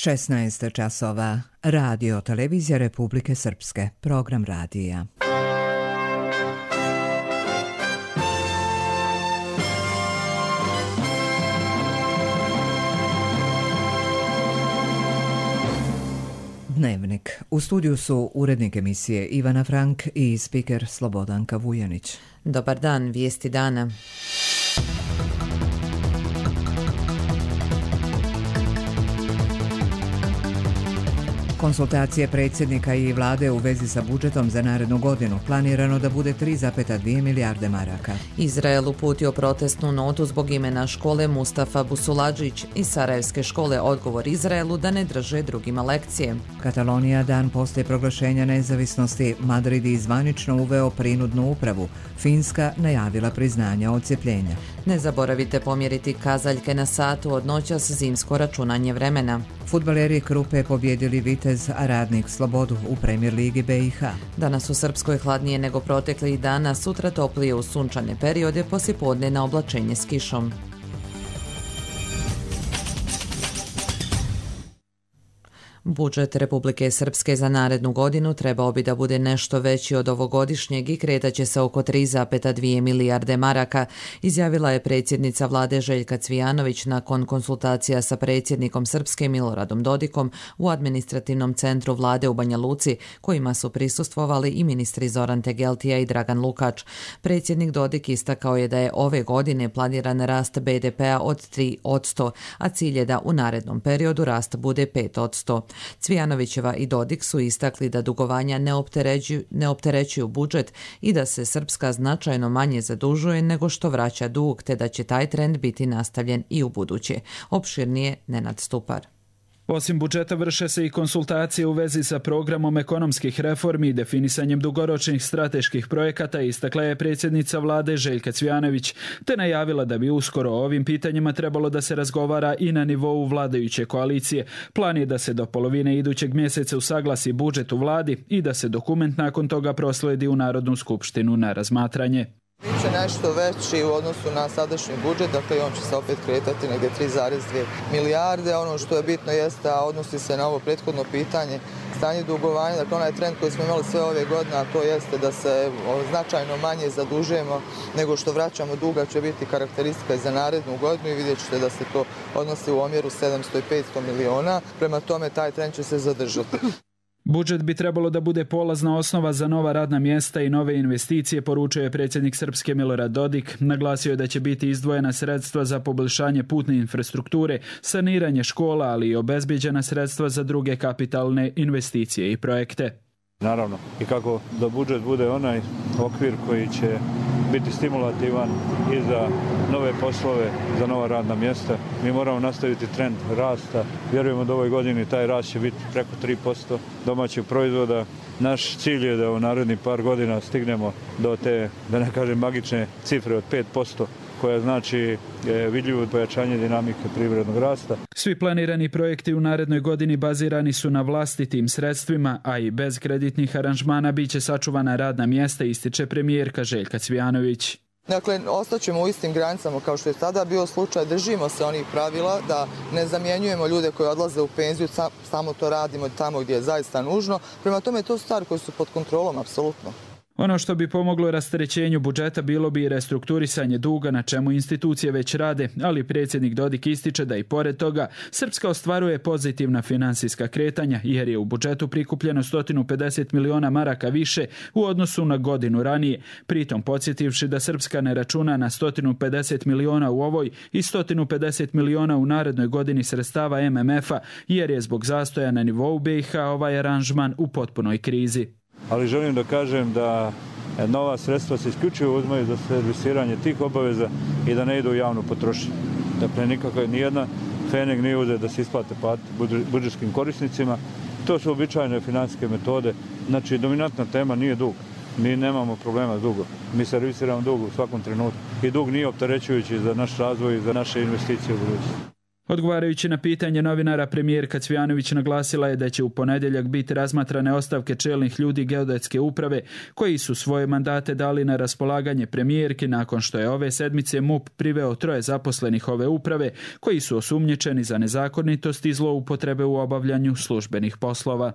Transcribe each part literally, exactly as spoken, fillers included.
šesnaest časova. Radio Televizija Republike Srpske. Program radija. Dnevnik. U studiju su urednik emisije Ivana Frank i spiker Slobodanka Vujanić. Dobar dan, vijesti dana. Konsultacije predsjednika i vlade u vezi sa budžetom za narednu godinu planirano da bude tri zarez dvije milijarde maraka. Izrael uputio protestnu notu zbog imena škole Mustafa Busuladžić i Sarajevske škole odgovor Izraelu da ne drže drugima lekcije. Katalonija dan poslije proglašenja nezavisnosti. Madrid je zvanično uveo prinudnu upravu. Finska najavila priznanja odcjepljenja. Ne zaboravite pomjeriti kazaljke na satu od noćas zimsko računanje vremena. Fudbaleri Krupe pobjedili Vitez, a Radnik Slobodu u Premier ligi B i H. Danas u Srpskoj hladnije nego proteklih dana, sutra toplije u sunčane periode, poslijepodne na oblačenje s kišom. Budžet Republike Srpske za narednu godinu trebao bi da bude nešto veći od ovogodišnjeg i kretaće se oko tri zarez dvije milijarde maraka, izjavila je predsjednica vlade Željka Cvijanović nakon konsultacija sa predsjednikom Srpske Miloradom Dodikom u administrativnom centru vlade u Banja Luci, kojima su prisustvovali i ministri Zoran Tegeltija i Dragan Lukač. Predsjednik Dodik istakao je da je ove godine planiran rast B D P-a od tri posto, a cilj je da u narednom periodu rast bude pet posto. Cvijanovićeva i Dodik su istakli da dugovanja ne opterećuju, ne opterećuju budžet i da se Srpska značajno manje zadužuje nego što vraća dug, te da će taj trend biti nastavljen i u buduće. Opširnije Nenad Stupar. Osim budžeta vrše se i konsultacije u vezi sa programom ekonomskih reformi i definisanjem dugoročnih strateških projekata, istakla je predsjednica vlade Željka Cvijanović, te najavila da bi uskoro o ovim pitanjima trebalo da se razgovara i na nivou vladajuće koalicije. Plan je da se do polovine idućeg mjeseca usaglasi budžet u vladi i da se dokument nakon toga prosledi u Narodnu skupštinu na razmatranje. Biće nešto veći u odnosu na sadašnji budžet, dakle on će se opet kretati negdje tri zarez dvije milijarde. Ono što je bitno jeste, a odnosi se na ovo prethodno pitanje, stanje dugovanja, dakle onaj trend koji smo imali sve ove godine, a to jeste da se značajno manje zadužujemo nego što vraćamo duga, će biti karakteristika za narednu godinu i vidjet ćete da se to odnosi u omjeru sedamsto i petsto miliona, prema tome taj trend će se zadržati. Budžet bi trebalo da bude polazna osnova za nova radna mjesta i nove investicije, poručio je predsjednik Srpske Milorad Dodik. Naglasio je da će biti izdvojena sredstva za poboljšanje putne infrastrukture, saniranje škola, ali i obezbijeđena sredstva za druge kapitalne investicije i projekte. Naravno, i kako da budžet bude onaj okvir koji će biti stimulativan i za nove poslove, za nova radna mjesta. Mi moramo nastaviti trend rasta. Vjerujemo da u ovoj godini taj rast će biti preko tri posto domaćeg proizvoda. Naš cilj je da u narednih par godina stignemo do te, da ne kažem, magične cifre od pet posto, koja znači vidljivo pojačanje dinamike privrednog rasta. Svi planirani projekti u narednoj godini bazirani su na vlastitim sredstvima, a i bez kreditnih aranžmana biće sačuvana radna mjesta, ističe premijerka Željka Cvijanović. Dakle, ostaćemo u istim granicama kao što je tada bio slučaj, držimo se onih pravila da ne zamjenjujemo ljude koji odlaze u penziju, samo to radimo tamo gdje je zaista nužno. Prema tome, to su stvari koje su pod kontrolom, apsolutno. Ono što bi pomoglo rasterećenju budžeta bilo bi restrukturisanje duga, na čemu institucije već rade, ali predsjednik Dodik ističe da i pored toga Srpska ostvaruje pozitivna finansijska kretanja jer je u budžetu prikupljeno sto pedeset miliona maraka više u odnosu na godinu ranije, pritom podsjetivši da Srpska ne računa na sto pedeset miliona u ovoj i sto pedeset miliona u narednoj godini sredstava M M F-a jer je zbog zastoja na nivou B i H ovaj aranžman u potpunoj krizi. Ali želim da kažem da nova sredstva se isključivo uzmaju za servisiranje tih obaveza i da ne idu u javnu potrošnju. Dakle, nikakva nijedna fening nije uzet da se isplate plate budžetskim korisnicima. To su običajne financijske metode. Znači, dominantna tema nije dug. Mi nemamo problema s dugom. Mi servisiramo dug u svakom trenutku. I dug nije opterećujući za naš razvoj i za naše investicije u budućnosti. Odgovarajući na pitanje novinara, premijerka Cvjanović naglasila je da će u ponedjeljak biti razmatrane ostavke čelnih ljudi geodetske uprave koji su svoje mandate dali na raspolaganje premijerki nakon što je ove sedmice M U P priveo troje zaposlenih ove uprave koji su osumnjičeni za nezakonitost i zloupotrebe u obavljanju službenih poslova.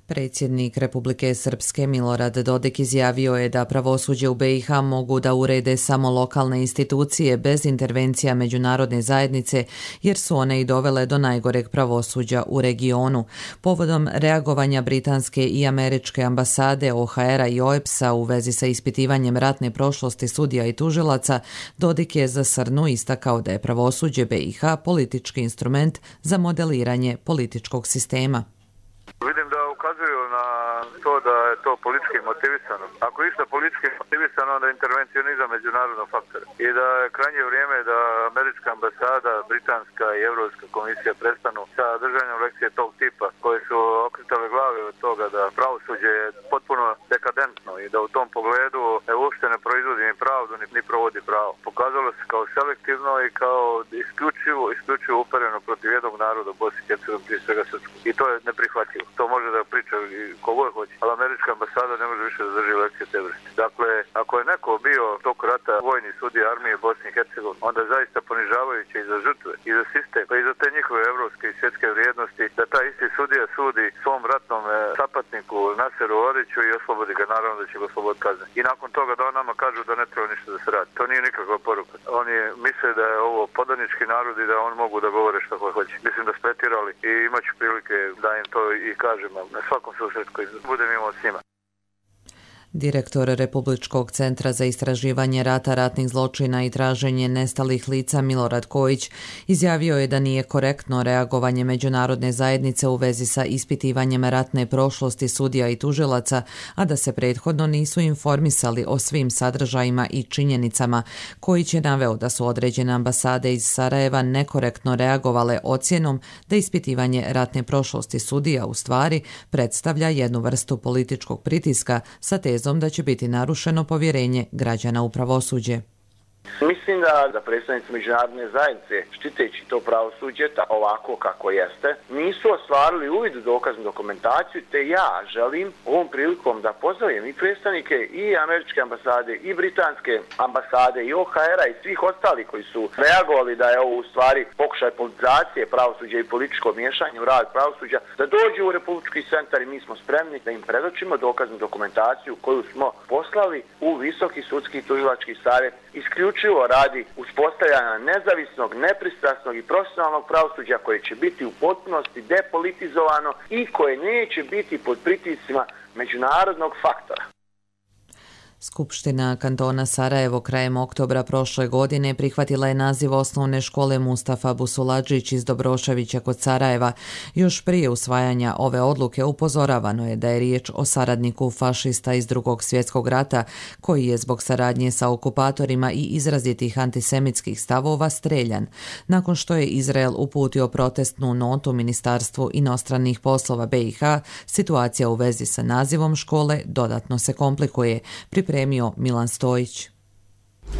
Predsjednik Republike Srpske Milorad Dodik izjavio je da pravosuđe u be i ha mogu da urede samo lokalne institucije bez intervencija međunarodne zajednice, jer su one i dovele do najgoreg pravosuđa u regionu. Povodom reagovanja britanske i američke ambasade, o ha era i o e pe es a u vezi sa ispitivanjem ratne prošlosti sudija i tužilaca, Dodik je za Srnu istakao da je pravosuđe be i ha politički instrument za modeliranje političkog sistema. Vidim da ukazuju na to da je to politički motivisano. Ako je išta politički motivisano, onda intervencionizam međunarodnog faktora. I da je krajnje vrijeme da američka ambasada, britanska i evropska komisija prestanu sa držanjem lekcije tog tipa koje su okretale glave od toga da pravosuđe je potpuno dekadentno i da u tom pogledu ne uopšte ne proizvodi ni pravdu ni, ni provodi pravo. Pokazalo se kao selektivno i kao isključivo, isključivo upereno protiv jednog naroda u Bosni i Hercegovini, prije svega Srpskog. I to je neprihvatljivo. To može da priča kogo je hoće, ali američka ambasada ne može više da drži lekcije te vrste. Dakle, ako je neko bio tog rata vojni sudija armije Bosne i Hercegovine, onda je zaista ponižavajuće i za žrtve, i za sistem, pa i za te njihove evropske i svjetske vrijednosti, da taj isti sudija sudi svom ratnom sapatniku Naseru Oriću i oslobodi ga, naravno da će ga osloboditi kazne. I nakon toga da on nama kažu da ne treba ništa da se radi. To nije nikakva poruka. Oni misle da je ovo podanički narod i da on mogu da govore što hoće. Mislim da spetirali i imaću prilike da im to i kažem na svakom susretu koji budem imao s njima. Direktor Republičkog centra za istraživanje rata, ratnih zločina i traženje nestalih lica Milorad Kojić izjavio je da nije korektno reagovanje međunarodne zajednice u vezi sa ispitivanjem ratne prošlosti sudija i tužilaca, a da se prethodno nisu informisali o svim sadržajima i činjenicama. Kojić je naveo da su određene ambasade iz Sarajeva nekorektno reagovale ocjenom da ispitivanje ratne prošlosti sudija u stvari predstavlja jednu vrstu političkog pritiska sa tezom da će biti narušeno povjerenje građana u pravosuđe. Mislim da, da predstavnici međunarodne zajednice, štiteći to pravosuđe ovako kako jeste, nisu ostvarili uvid u dokaznu dokumentaciju, te ja želim ovom prilikom da pozdravim i predstavnike i američke ambasade, i britanske ambasade, i o ha era i svih ostalih koji su reagovali da je ovo u stvari pokušaj politizacije pravosuđa i političko miješanje u rad pravosuđa, da dođu u Republički centar i mi smo spremni da im predočimo dokaznu dokumentaciju koju smo poslali u Visoki sudski tužilački savjet isključivo radi uspostavljanja nezavisnog, nepristrasnog i profesionalnog pravosuđa koje će biti u potpunosti depolitizovano i koje neće biti pod pritiscima međunarodnog faktora. Skupština kantona Sarajevo krajem oktobra prošle godine prihvatila je naziv osnovne škole Mustafa Busuladžić iz Dobroševića kod Sarajeva. Još prije usvajanja ove odluke upozoravano je da je riječ o saradniku fašista iz Drugog svjetskog rata, koji je zbog saradnje sa okupatorima i izrazitih antisemitskih stavova streljan. Nakon što je Izrael uputio protestnu notu Ministarstvu inostranih poslova be i ha, situacija u vezi sa nazivom škole dodatno se komplikuje, pripremio Milan Stojić.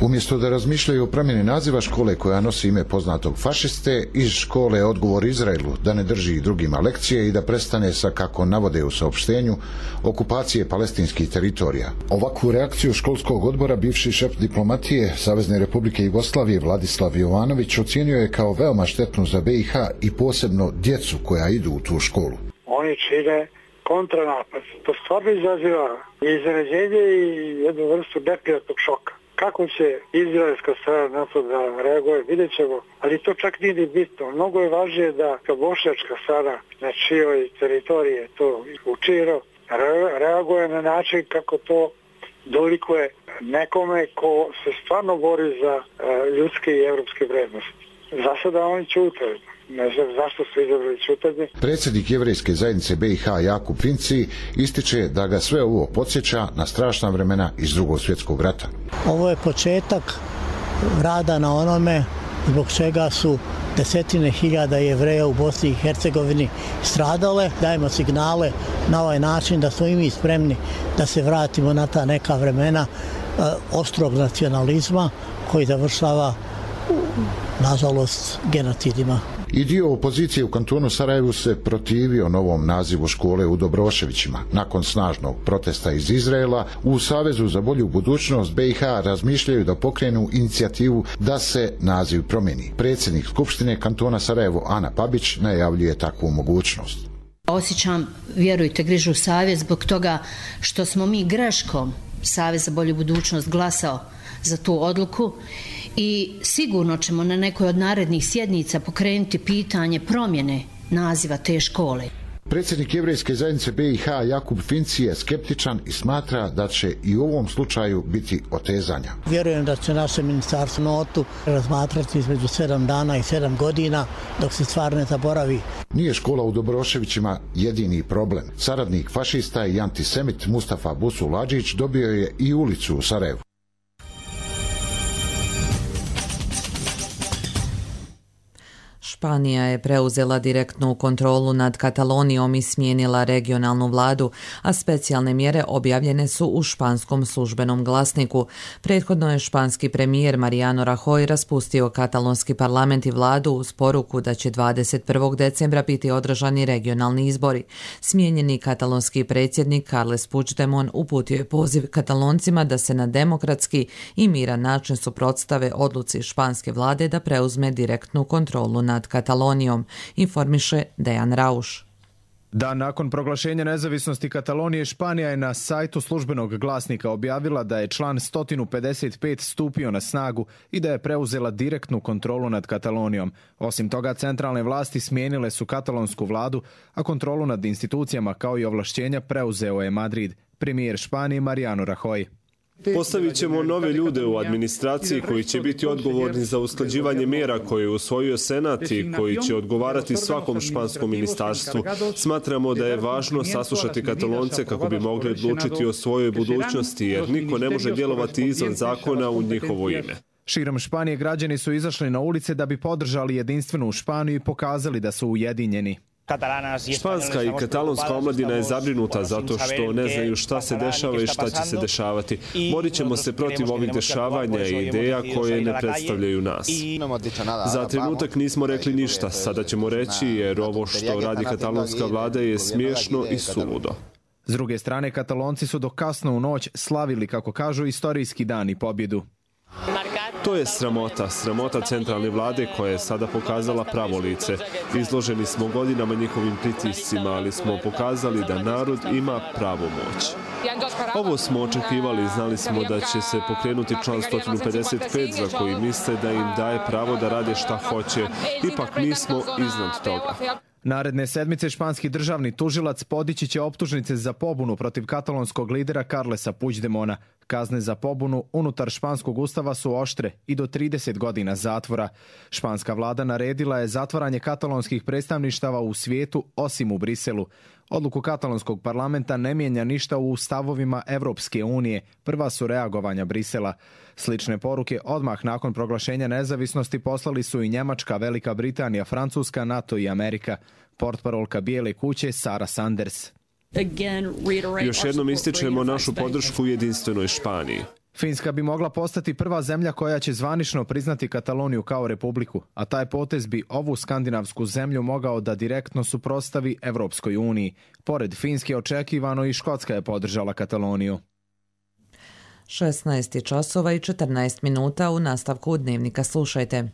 Umjesto da razmišljaju o promjeni naziva škole koja nosi ime poznatog fašiste, iz škole je odgovor Izraelu da ne drži drugima lekcije i da prestane sa, kako navode u saopštenju, okupacije palestinskih teritorija. Ovakvu reakciju školskog odbora bivši šef diplomatije Savezne Republike Jugoslavije Vladislav Jovanović ocijenio je kao veoma štetnu za be i ha i posebno djecu koja idu u tu školu. Oni čine kontranapad. To stvarno izaziva iznenađenje i jednu vrstu neprijatnog šoka. Kako će izraelska strana na to da reaguje, vidjet ćemo, ali to čak nije ni bitno. Mnogo je važnije da bošnjačka strana na čijoj teritoriji je to učinjeno reaguje na način kako to dolikuje nekome ko se stvarno bori za ljudske i evropske vrednosti. Za sada oni ćutaju. Ne znam zašto su izabrali ćutanje. Predsjednik jevrejske zajednice be i ha Jakub Finci ističe da ga sve ovo podsjeća na strašna vremena iz Drugog svjetskog rata. Ovo je početak rada na onome zbog čega su desetine hiljada Jevreja u Bosni i Hercegovini stradale. Dajemo signale na ovaj način da smo i mi spremni da se vratimo na ta neka vremena e, ostrog nacionalizma koji završava nažalost, genocidima. I dio opozicije u kantonu Sarajevu se protivio novom nazivu škole u Dobroševićima. Nakon snažnog protesta iz Izraela, u Savezu za bolju budućnost B i H razmišljaju da pokrenu inicijativu da se naziv promijeni. Predsjednik Skupštine kantona Sarajevo Ana Pabić najavljuje takvu mogućnost. Osjećam, vjerujte, grižu savjest zbog toga što smo mi greškom Savez za bolju budućnost glasao za tu odluku i sigurno ćemo na nekoj od narednih sjednica pokrenuti pitanje promjene naziva te škole. Predsjednik Jevrejske zajednice B i H Jakub Finci je skeptičan i smatra da će i u ovom slučaju biti otezanja. Vjerujem da će naše ministarstvo notu razmatrati između sedam dana i sedam godina dok se stvar ne zaboravi. Nije škola u Dobroševićima jedini problem. Saradnik fašista i antisemit Mustafa Busul Adžić dobio je i ulicu u Sarajevu. Španija je preuzela direktnu kontrolu nad Katalonijom i smijenila regionalnu vladu, a specijalne mjere objavljene su u španskom službenom glasniku. Prethodno je španski premijer Mariano Rajoy raspustio katalonski parlament i vladu uz poruku da će dvadeset prvog decembra biti održani regionalni izbori. Smijenjeni katalonski predsjednik Carles Puigdemont uputio je poziv Kataloncima da se na demokratski i miran način suprotstave odluci španske vlade da preuzme direktnu kontrolu nad Katalonijom, informiše Dejan Rauš. Dan nakon proglašenja nezavisnosti Katalonije, Španija je na sajtu službenog glasnika objavila da je član sto pedeset pet stupio na snagu i da je preuzela direktnu kontrolu nad Katalonijom. Osim toga, centralne vlasti smijenile su katalonsku vladu, a kontrolu nad institucijama kao i ovlašćenja preuzeo je Madrid. Premijer Španije Mariano Rajoy. Postavit ćemo nove ljude u administraciji koji će biti odgovorni za usklađivanje mjera koje je usvojio Senat i koji će odgovarati svakom španskom ministarstvu. Smatramo da je važno saslušati Katalonce kako bi mogli odlučiti o svojoj budućnosti, jer niko ne može djelovati izvan zakona u njihovo ime. Širom Španije građani su izašli na ulice da bi podržali jedinstvenu Španiju i pokazali da su ujedinjeni. Španska i katalonska omladina je zabrinuta zato što ne znaju šta se dešava i šta će se dešavati. Borit ćemo se protiv ovih dešavanja i ideja koje ne predstavljaju nas. Za trenutak nismo rekli ništa, sada ćemo reći jer ovo što radi katalonska vlada je smiješno i suludo. S druge strane, Katalonci su do kasno u noć slavili, kako kažu, istorijski dan i pobjedu. To je sramota, sramota centralne vlade koja je sada pokazala pravo lice. Izloženi smo godinama njihovim pritiscima, ali smo pokazali da narod ima pravu moć. Ovo smo očekivali, znali smo da će se pokrenuti član sto pedeset pet za koji misle da im daje pravo da rade šta hoće. Ipak mi smo iznad toga. Naredne sedmice španski državni tužilac podići će optužnice za pobunu protiv katalonskog lidera Carlesa Puigdemona. Kazne za pobunu unutar španskog ustava su oštre i do trideset godina zatvora. Španska vlada naredila je zatvaranje katalonskih predstavništava u svijetu osim u Briselu. Odluku katalonskog parlamenta ne mijenja ništa u stavovima Evropske unije. Prva su reagovanja Brisela. Slične poruke odmah nakon proglašenja nezavisnosti poslali su i Njemačka, Velika Britanija, Francuska, NATO i Amerika. Portparolka Bijele kuće Sara Sanders. Još jednom ističemo našu podršku jedinstvenoj Španiji. Finska bi mogla postati prva zemlja koja će zvanično priznati Kataloniju kao republiku, a taj potez bi ovu skandinavsku zemlju mogao da direktno suprotstavi Evropskoj uniji. Pored Finske očekivano i Škotska je podržala Kataloniju. šesnaest časova i četrnaest minuta, u nastavku Dnevnika slušajte.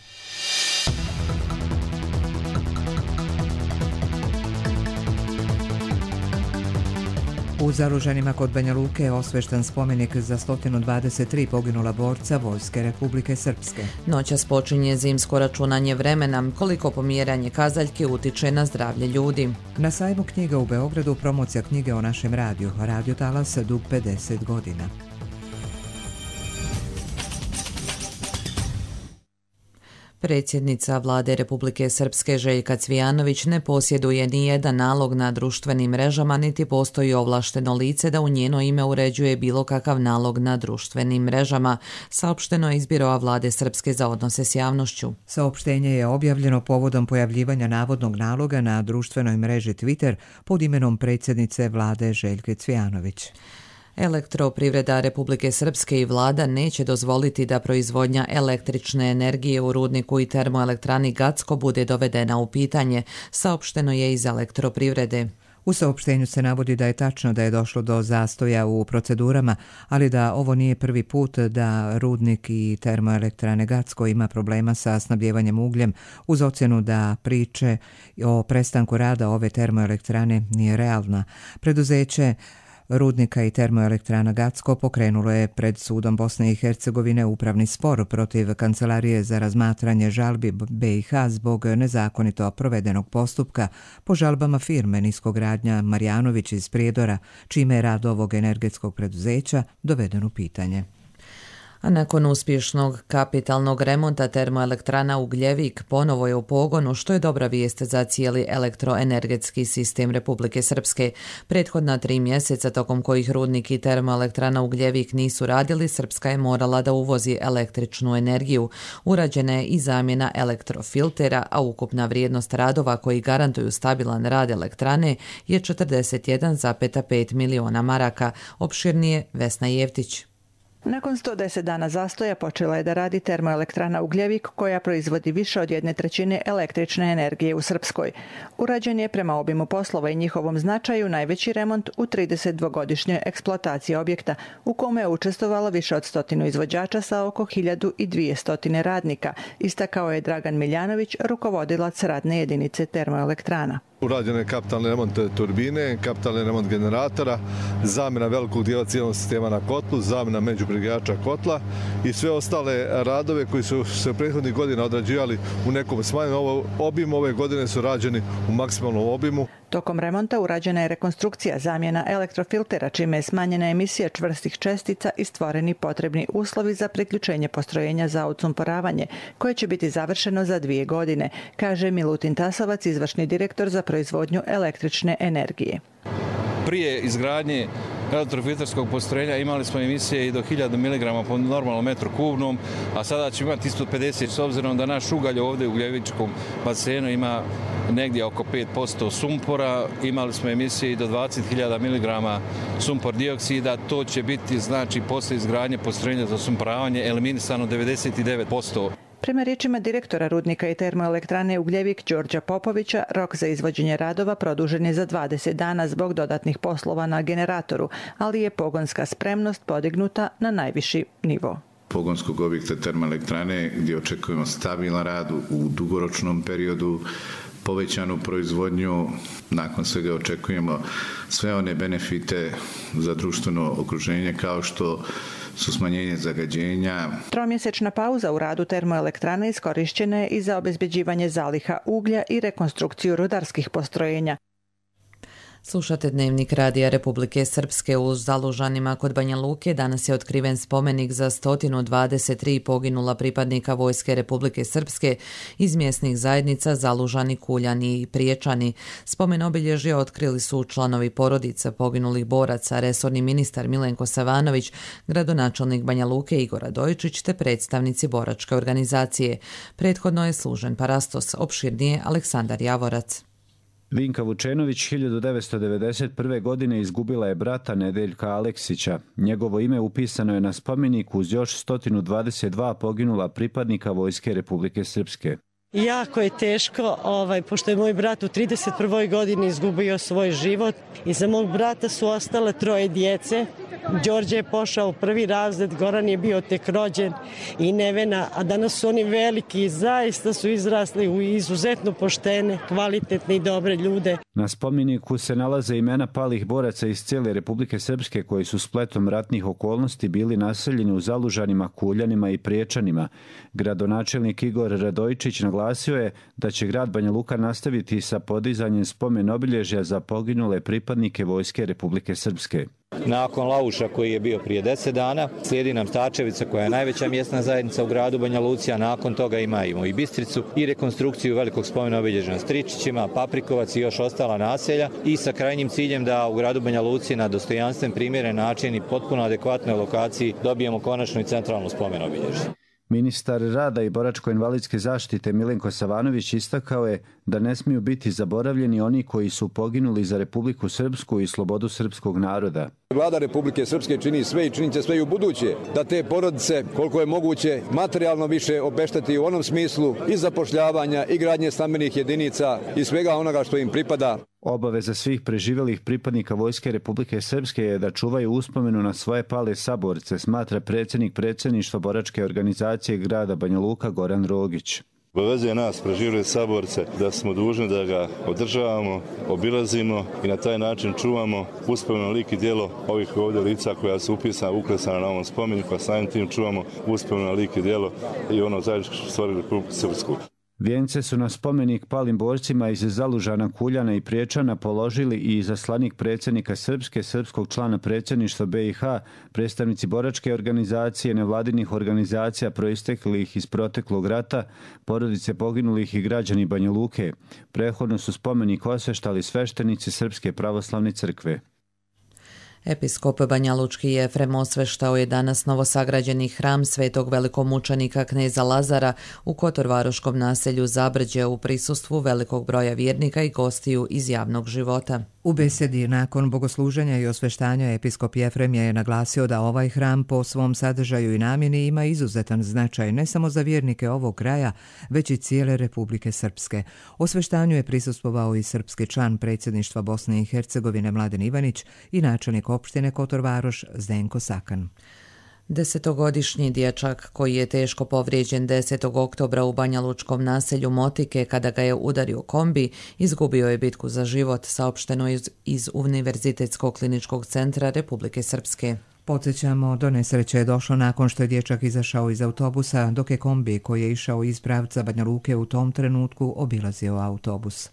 U Zalužanima kod Banja Luke je osvešten spomenik za sto dvadeset tri poginula borca Vojske Republike Srpske. Noćas počinje zimsko računanje vremena, koliko pomjeranje kazaljke utiče na zdravlje ljudi. Na sajmu knjiga u Beogradu promocija knjige o našem radiju, Radio Talas dug pedeset godina. Predsjednica vlade Republike Srpske Željka Cvijanović ne posjeduje ni jedan nalog na društvenim mrežama, niti postoji ovlašteno lice da u njeno ime uređuje bilo kakav nalog na društvenim mrežama, saopšteno je iz Biroa vlade Srpske za odnose s javnošću. Saopštenje je objavljeno povodom pojavljivanja navodnog naloga na društvenoj mreži Twitter pod imenom predsjednice vlade Željke Cvijanović. Elektroprivreda Republike Srpske i vlada neće dozvoliti da proizvodnja električne energije u rudniku i termoelektrani Gacko bude dovedena u pitanje, saopšteno je iz Elektroprivrede. U saopštenju se navodi da je tačno da je došlo do zastoja u procedurama, ali da ovo nije prvi put da rudnik i termoelektrane Gacko ima problema sa snabdjevanjem ugljem, uz ocjenu da priče o prestanku rada ove termoelektrane nije realna. Preduzeće rudnika i termoelektrana Gacko pokrenulo je pred sudom Bosne i Hercegovine upravni spor protiv Kancelarije za razmatranje žalbi B i H zbog nezakonito provedenog postupka po žalbama firme Niskogradnja Marjanović iz Prijedora, čime je rad ovog energetskog preduzeća doveden u pitanje. A nakon uspješnog kapitalnog remonta termoelektrana Ugljevik ponovo je u pogonu, što je dobra vijest za cijeli elektroenergetski sistem Republike Srpske. Prethodna tri mjeseca tokom kojih rudnik i termoelektrana Ugljevik nisu radili, Srpska je morala da uvozi električnu energiju. Urađena je i zamjena elektrofiltera, a ukupna vrijednost radova koji garantuju stabilan rad elektrane je četrdeset jedan zarez pet miliona maraka. Opširnije Vesna Jevtić. Nakon sto deset dana zastoja počela je da radi termoelektrana Ugljevik koja proizvodi više od jedne trećine električne energije u Srpskoj. Urađen je prema obimu poslova i njihovom značaju najveći remont u tridesetdvogodišnjoj eksploataciji objekta, u kome je učestvovalo više od stotinu izvođača sa oko hiljadu dvjesto radnika, istakao je Dragan Miljanović, rukovodilac radne jedinice termoelektrana. Urađen je kapitalni remont turbine, kapitalni remont generatora, zamjena velikog dijela cijelog sistema na kotlu, zamjena međubrigača kotla i sve ostale radove koji su se prethodnih godina odrađivali u nekom smanjenom obimu, ove godine su rađeni u maksimalnom obimu. Tokom remonta urađena je rekonstrukcija, zamjena elektrofiltera, čime je smanjena emisija čvrstih čestica i stvoreni potrebni uslovi za priključenje postrojenja za odsumporavanje, koje će biti završeno za dvije godine, kaže Milutin Tasovac, izvršni direktor za proizvodnju električne energije. Prije izgradnje elektrofilterskog postrojenja imali smo emisije i do hiljadu miligrama po normalnom metru kubnom, a sada ćemo imati isto pedeset, s obzirom da naš ugalj ovdje u Ugljevičkom basenu ima negdje oko pet posto sumpora. Imali smo emisije i do dvadeset hiljada miligrama sumpor dioksida. To će biti, znači, poslije izgradnje postrojenja za sumporavanje eliminisano devedeset devet posto. Prema riječima direktora rudnika i termoelektrane Ugljevik Đorđa Popovića, rok za izvođenje radova produžen je za dvadeset dana zbog dodatnih poslova na generatoru, ali je pogonska spremnost podignuta na najviši nivo. Pogonskog objekta termoelektrane gdje očekujemo stabilan rad u dugoročnom periodu, povećanu proizvodnju, nakon svega očekujemo sve one benefite za društveno okruženje kao što su smanjenje zagađenja. Tromjesečna pauza u radu termoelektrane iskorišćena je i za obezbeđivanje zaliha uglja i rekonstrukciju rudarskih postrojenja. Slušate Dnevnik Radija Republike Srpske. U Zalužanima kod Banja Luke danas je otkriven spomenik za sto dvadeset tri poginula pripadnika Vojske Republike Srpske iz mjesnih zajednica Zalužani, Kuljani i Priječani. Spomen obilježje otkrili su članovi porodica poginulih boraca, resorni ministar Milenko Savanović, gradonačelnik Banja Luke Igor Radojičić te predstavnici boračke organizacije. Prethodno je služen parastos, opširnije Aleksandar Javorac. Vinka Vučenović hiljadu devetsto devedeset prve. godine izgubila je brata Nedeljka Aleksića. Njegovo ime upisano je na spomeniku uz još sto dvadeset dva poginula pripadnika Vojske Republike Srpske. Jako je teško, ovaj, pošto je moj brat u trideset prvoj. godini izgubio svoj život. Iza mog brata su ostale troje djece. Đorđe je pošao u prvi razred, Goran je bio tek rođen i Nevena, a danas su oni veliki i zaista su izrasli u izuzetno poštene, kvalitetne i dobre ljude. Na spomeniku se nalaze imena palih boraca iz cijele Republike Srpske koji su spletom ratnih okolnosti bili naseljeni u Zalužanima, Kuljanima i Priječanima. Gradonačelnik Igor Radojičić naglasio je da će grad Banja Luka nastaviti sa podizanjem spomen obilježja za poginule pripadnike Vojske Republike Srpske. Nakon Lauša koji je bio prije deset dana, slijedi nam Stačevica koja je najveća mjesna zajednica u gradu Banja Luci, a nakon toga imamo i Bistricu i rekonstrukciju velikog spomena obilježja na Stričićima, Paprikovac i još ostala naselja i sa krajnjim ciljem da u gradu Banja Luci na dostojanstven, primjeren način i potpuno adekvatnoj lokaciji dobijemo konačno i centralno spomen obilježje. Ministar rada i boračko-invalidske zaštite Milenko Savanović istakao je da ne smiju biti zaboravljeni oni koji su poginuli za Republiku Srpsku i slobodu srpskog naroda. Vlada Republike Srpske čini sve i činit će sve i u buduće da te porodice koliko je moguće materijalno više obešteti u onom smislu i zapošljavanja i gradnje stambenih jedinica i svega onoga što im pripada. Obaveza svih preživelih pripadnika Vojske Republike Srpske je da čuvaju uspomenu na svoje pale saborce, smatra predsjednik predsjedništva boračke organizacije grada Banja Luka Goran Rogić. Obavezuje nas, preživjeli saborce, da smo dužni da ga održavamo, obilazimo i na taj način čuvamo uspomenu lik i djelo ovih ovdje lica koja su upisana, uklesana na ovom spomeniku, a samim tim čuvamo uspomenu lik i djelo i ono zajedničko što stvorili Republiku Srpsku. Vijence su na spomenik palim borcima iz Zalužana, Kuljana i Priječana položili i izaslanik predsjednika Srpske, srpskog člana predsjedništva B i H, predstavnici boračke organizacije, nevladinih organizacija proisteklih iz proteklog rata, porodice poginulih i građani Banja Luke. Prethodno su spomenik osveštali sveštenici Srpske pravoslavne crkve. Episkop Banjalučki Jefrem osveštao je danas novosagrađeni hram svetog velikomučenika kneza Lazara u kotorvaroškom naselju Zabrđe u prisustvu velikog broja vjernika i gostiju iz javnog života. U besedi nakon bogosluženja i osveštanja episkop Jefrem je naglasio da ovaj hram po svom sadržaju i namjeni ima izuzetan značaj ne samo za vjernike ovog kraja, već i cijele Republike Srpske. Osveštanju je prisustvovao i srpski član predsjedništva Bosne i Hercegovine Mladen Ivanić i načelnik opštine Kotorvaroš Zdenko Sakan. Desetogodišnji dječak koji je teško povrijeđen desetog oktobra u banjalučkom naselju Motike kada ga je udario kombi, izgubio je bitku za život, saopšteno iz, iz Univerzitetskog kliničkog centra Republike Srpske. Podsjećamo, do nesreće je došlo nakon što je dječak izašao iz autobusa, dok je kombi koji je išao iz pravca Banja Luke u tom trenutku obilazio autobus.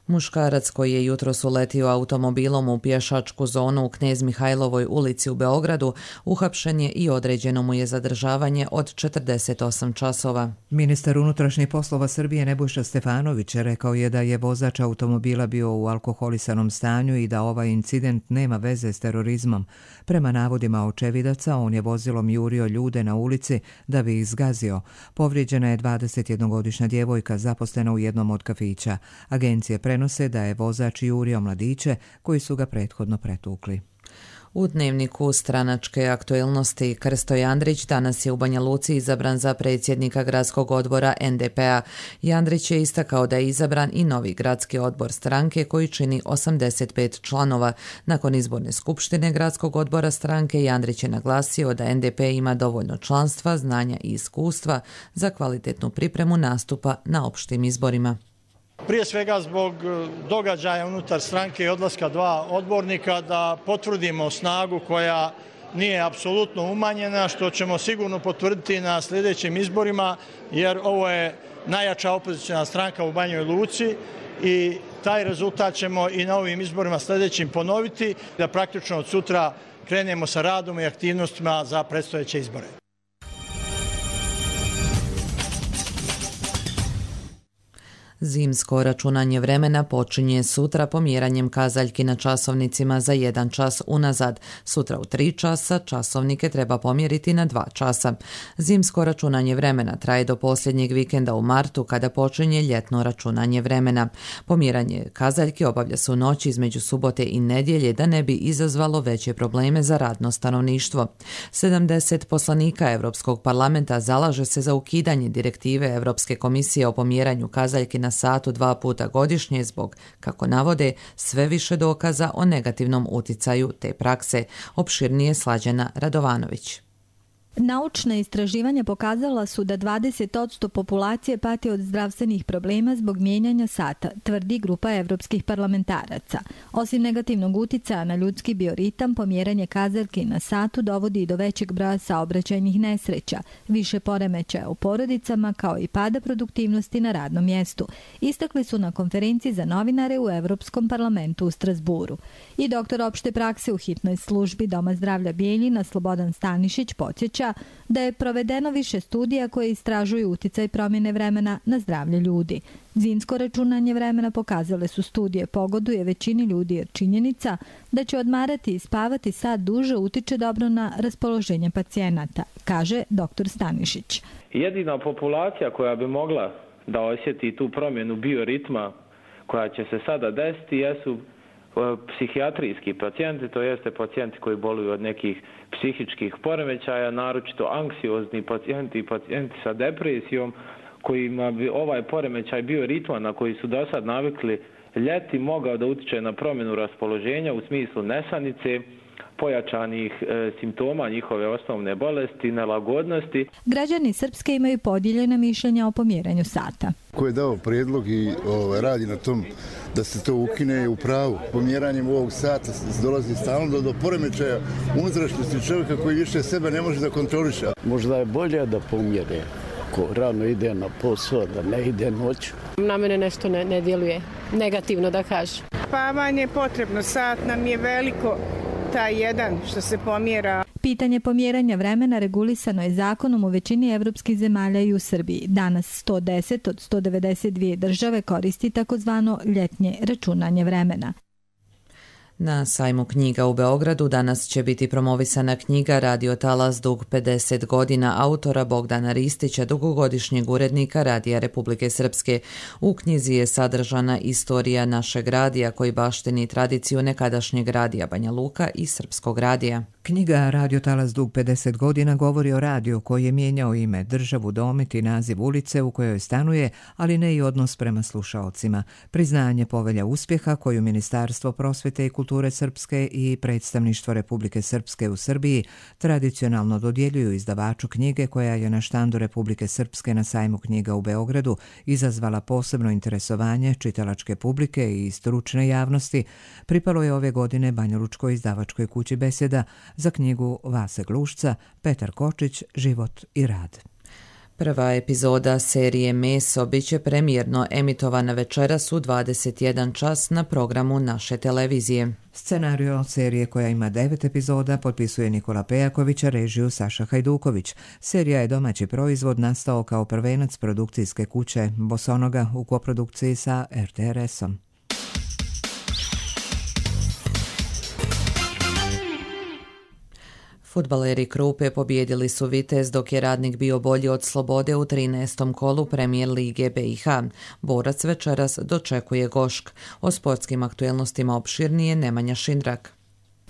Muškarac koji je jutros uletio automobilom u pješačku zonu u Knez Mihajlovoj ulici u Beogradu uhapšen je i određeno mu je zadržavanje od četrdeset osam časova. Ministar unutrašnjih poslova Srbije Nebojša Stefanović rekao je da je vozač automobila bio u alkoholisanom stanju i da ovaj incident nema veze s terorizmom. Prema navodima očevidaca, on je vozilom jurio ljude na ulici da bi ih zgazio. Povrijeđena je dvadesetjednogodišnja djevojka zaposlena u jednom od kafića. Agencije prenose da je vozač jurio mladiće koji su ga prethodno pretukli. U dnevniku stranačke aktuelnosti Krsto Jandrić danas je u Banja Luci izabran za predsjednika gradskog odbora N D P-a. Jandrić je istakao da je izabran i novi gradski odbor stranke koji čini osamdeset pet članova. Nakon izborne skupštine gradskog odbora stranke Jandrić je naglasio da N D P ima dovoljno članstva, znanja i iskustva za kvalitetnu pripremu nastupa na opštim izborima. Prije svega zbog događaja unutar stranke i odlaska dva odbornika da potvrdimo snagu koja nije apsolutno umanjena, što ćemo sigurno potvrditi na sljedećim izborima, jer ovo je najjača opozicijna stranka u Banjoj Luci i taj rezultat ćemo i na ovim izborima sljedećim ponoviti, da praktično od sutra krenemo sa radom i aktivnostima za predstojeće izbore. Zimsko računanje vremena počinje sutra pomjeranjem kazaljki na časovnicima za jedan čas unazad. Sutra u tri časa časovnike treba pomjeriti na dva časa. Zimsko računanje vremena traje do posljednjeg vikenda u martu kada počinje ljetno računanje vremena. Pomjeranje kazaljki obavlja se u noći između subote i nedjelje da ne bi izazvalo veće probleme za radno stanovništvo. sedamdeset poslanika Europskog parlamenta zalaže se za ukidanje direktive Europske komisije o pomjeranju kazaljki na satu dva puta godišnje zbog, kako navode, sve više dokaza o negativnom uticaju te prakse. Opširnije Slađana Radovanović. Naučna istraživanja pokazala su da dvadeset posto populacije pati od zdravstvenih problema zbog mijenjanja sata, tvrdi grupa evropskih parlamentaraca. Osim negativnog uticaja na ljudski bioritam, pomjeranje kazaljki na satu dovodi i do većeg broja saobraćajnih nesreća, više poremećaja u porodicama kao i pada produktivnosti na radnom mjestu. Istakli su na konferenciji za novinare u Evropskom parlamentu u Strasburu. I doktor opšte prakse u hitnoj službi Doma zdravlja Bijeljina Slobodan Stanišić podsjeća da je provedeno više studija koje istražuju uticaj promjene vremena na zdravlje ljudi. Zimsko računanje vremena pokazale su studije pogoduje većini ljudi jer činjenica da će odmarati i spavati sat duže utiče dobro na raspoloženje pacijenata, kaže doktor Stanišić. Jedina populacija koja bi mogla da osjeti tu promjenu bioritma koja će se sada desiti jesu psihijatrijski pacijenti, to jeste pacijenti koji boluju od nekih psihičkih poremećaja, naročito anksiozni pacijenti i pacijenti sa depresijom, kojima bi ovaj poremećaj bio ritman na koji su do sad navikli ljeti, mogao da utiče na promjenu raspoloženja u smislu nesanice, pojačanih e, simptoma njihove osnovne bolesti, nelagodnosti. Građani Srpske imaju podijeljena mišljenja o pomjeranju sata. Ko je dao prijedlog i o, radi na tom da se to ukine u pravu. Pomjeranjem ovog sata dolazi stalno do, do poremećaja unutrašnjosti čovjeka koji više sebe ne može da kontroliše. Možda je bolje da pomjere. Ko rano ide na posao, da ne ide noću. Na mene nešto ne, ne djeluje negativno, da kažem. Spavanje je potrebno, sat nam je veliko, taj jedan što se pomjera. Pitanje pomjeranja vremena regulisano je zakonom u većini evropskih zemalja i u Srbiji. Danas sto deset od sto devedeset dvije države koristi takozvano ljetnje računanje vremena. Na sajmu knjiga u Beogradu danas će biti promovisana knjiga Radio Talas dug pedeset godina autora Bogdana Ristića, dugogodišnjeg urednika Radija Republike Srpske. U knjizi je sadržana istorija našeg radija koji baštini tradiciju nekadašnjeg radija Banja Luka i Srpskog radija. Knjiga Radio Talas dug pedeset godina govori o radiju koji je mijenjao ime, državu, domet i naziv ulice u kojoj stanuje, ali ne i odnos prema slušaocima. Priznanje povelja uspjeha koju Ministarstvo prosvete i kulture Srpske i Predstavništvo Republike Srpske u Srbiji tradicionalno dodjeljuju izdavaču knjige koja je na štandu Republike Srpske na sajmu knjiga u Beogradu izazvala posebno interesovanje čitalačke publike i stručne javnosti, pripalo je ove godine banjalučkoj izdavačkoj kući Beseda za knjigu Vase Glušca, Petar Kočić, Život i rad. Prva epizoda serije Meso biće premijerno emitovana večeras u dvadeset jedan čas na programu naše televizije. Scenario serije koja ima devet epizoda potpisuje Nikola Pejaković, a režiju Saša Hajduković. Serija je domaći proizvod, nastao kao prvenac produkcijske kuće Bosonoga u koprodukciji sa er te er esom. Fudbaleri Krupe pobjedili su Vitez dok je Radnik bio bolji od Slobode u trinaestom kolu Premijer Lige be i ha. Borac večeras dočekuje Gošk. O sportskim aktuelnostima opširnije Nemanja Šindrak.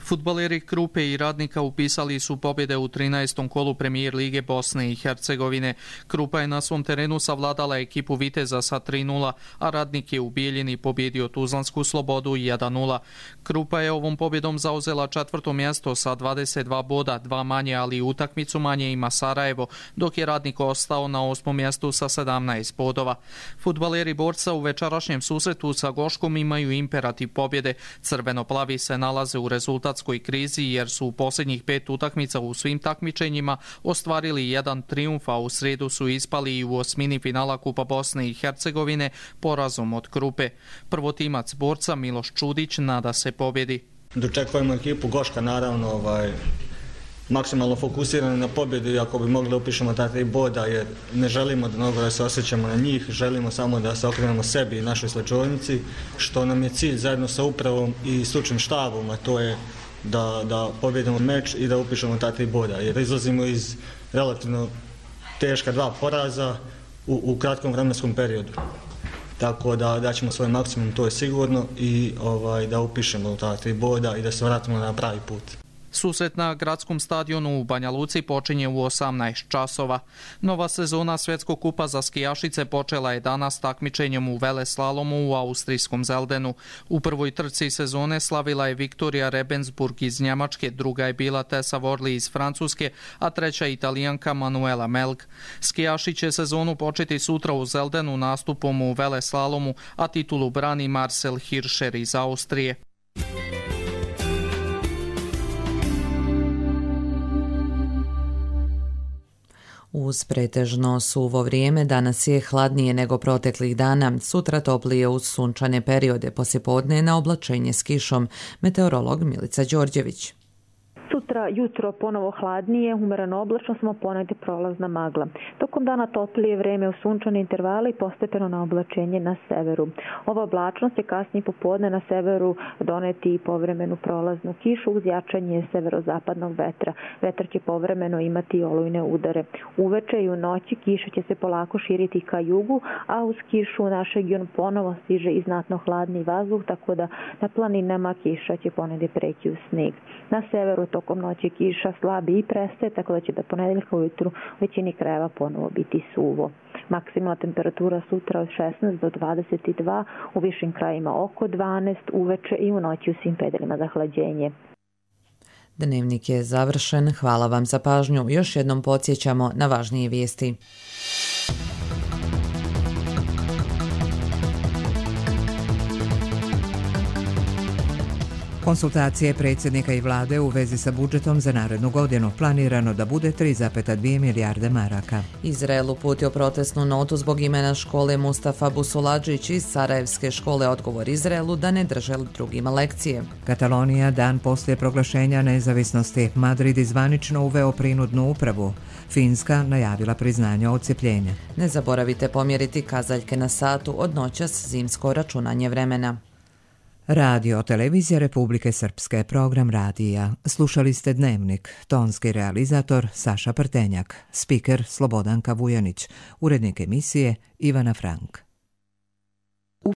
Fudbaleri Krupe i Radnika upisali su pobjede u trinaestom kolu Premijer Lige Bosne i Hercegovine. Krupa je na svom terenu savladala ekipu Viteza sa tri nula, a Radnik je u Bijeljini pobjedio Tuzlansku Slobodu jedan nula. Krupa je ovom pobjedom zauzela četvrto mjesto sa dvadeset dva boda, dva manje, ali utakmicu manje ima Sarajevo, dok je Radnik ostao na osmom mjestu sa sedamnaest bodova. Fudbaleri Borca u večerašnjem susretu sa Goškom imaju imperativ pobjede. Crveno-plavi se nalaze u rezultat krizi jer su u posljednjih pet utakmica u svim takmičenjima ostvarili jedan trijumf, a u sredu su ispali i u osmini finala Kupa Bosne i Hercegovine porazom od Krupe. Prvotimac Borca Miloš Čudić nada se pobjedi. Dočekujemo ekipu Goška, naravno ovaj, maksimalno fokusirani na pobjedu, iako bi mogli da upišemo ta tri boda, jer ne želimo da mnogo da se osjećamo na njih, želimo samo da se okrenemo sebi i našoj slačovnici, što nam je cilj zajedno sa upravom i stručnim štabom, a to je da, da pobjedimo meč i da upišemo ta tri boda, jer izlazimo iz relativno teška dva poraza u, u kratkom vremenskom periodu. Tako da daćemo svoj maksimum, to je sigurno, i ovaj, da upišemo ta tri boda i da se vratimo na pravi put. Susret na gradskom stadionu u Banja Luci počinje u osamnaest časova. Nova sezona Svjetskog kupa za skijašice počela je danas takmičenjem u veleslalomu u austrijskom Zeldenu. U prvoj trci sezone slavila je Viktorija Rebensburg iz Njemačke, druga je bila Tessa Worley iz Francuske, a treća Italijanka Manuela Melg. Skijaši će sezonu početi sutra u Zeldenu nastupom u veleslalomu, a titulu brani Marcel Hirscher iz Austrije. Uz pretežno suvo vrijeme danas je hladnije nego proteklih dana, sutra toplije uz sunčane periode, poslijepodne na oblačenje s kišom. Meteorolog Milica Đorđević. Sutra jutro ponovo hladnije, umereno oblačno, samo ponegdje prolazna magla. Tokom dana toplije vreme u sunčane intervale i postepeno na oblačenje na severu. Ova oblačnost će kasnije popodne na severu doneti i povremenu prolaznu kišu uz jačanje severozapadnog vetra. Vetar će povremeno imati olujne udare. Uveče i u noći kiša će se polako širiti ka jugu, a uz kišu u naš region ponovo stiže i znatno hladni vazduh, tako da na planinama kiša će ponegdje preći u sneg. Na severu tokom noći kiša slabi i prestaje, tako da će do ponedeljka ujutru u većini krajeva ponovo biti suvo. Maksimalna temperatura sutra od šesnaest do dvadeset dva, u višim krajima oko dvanaest, uveče i u noći u svim predelima zahlađenje. Dnevnik je završen. Hvala vam za pažnju. Još jednom podsjećamo na važnije vijesti. Konsultacije predsjednika i vlade u vezi sa budžetom za narednu godinu planirano da bude tri zarez dvije milijarde maraka. Izrael uputio protestnu notu zbog imena škole Mustafa Busuladžić iz Sarajevske škole Odgovor Izraelu da ne drže drugima lekcije. Katalonija dan poslije proglašenja nezavisnosti. Madrid izvanično uveo prinudnu upravu. Finska najavila priznanje odcepljenja. Ne zaboravite pomjeriti kazaljke na satu, od noćas zimsko računanje vremena. Radio Televizija Republike Srpske, program radija. Slušali ste Dnevnik, tonski realizator Saša Prtenjak, spiker Slobodanka Vujanić, urednik emisije Ivana Frank.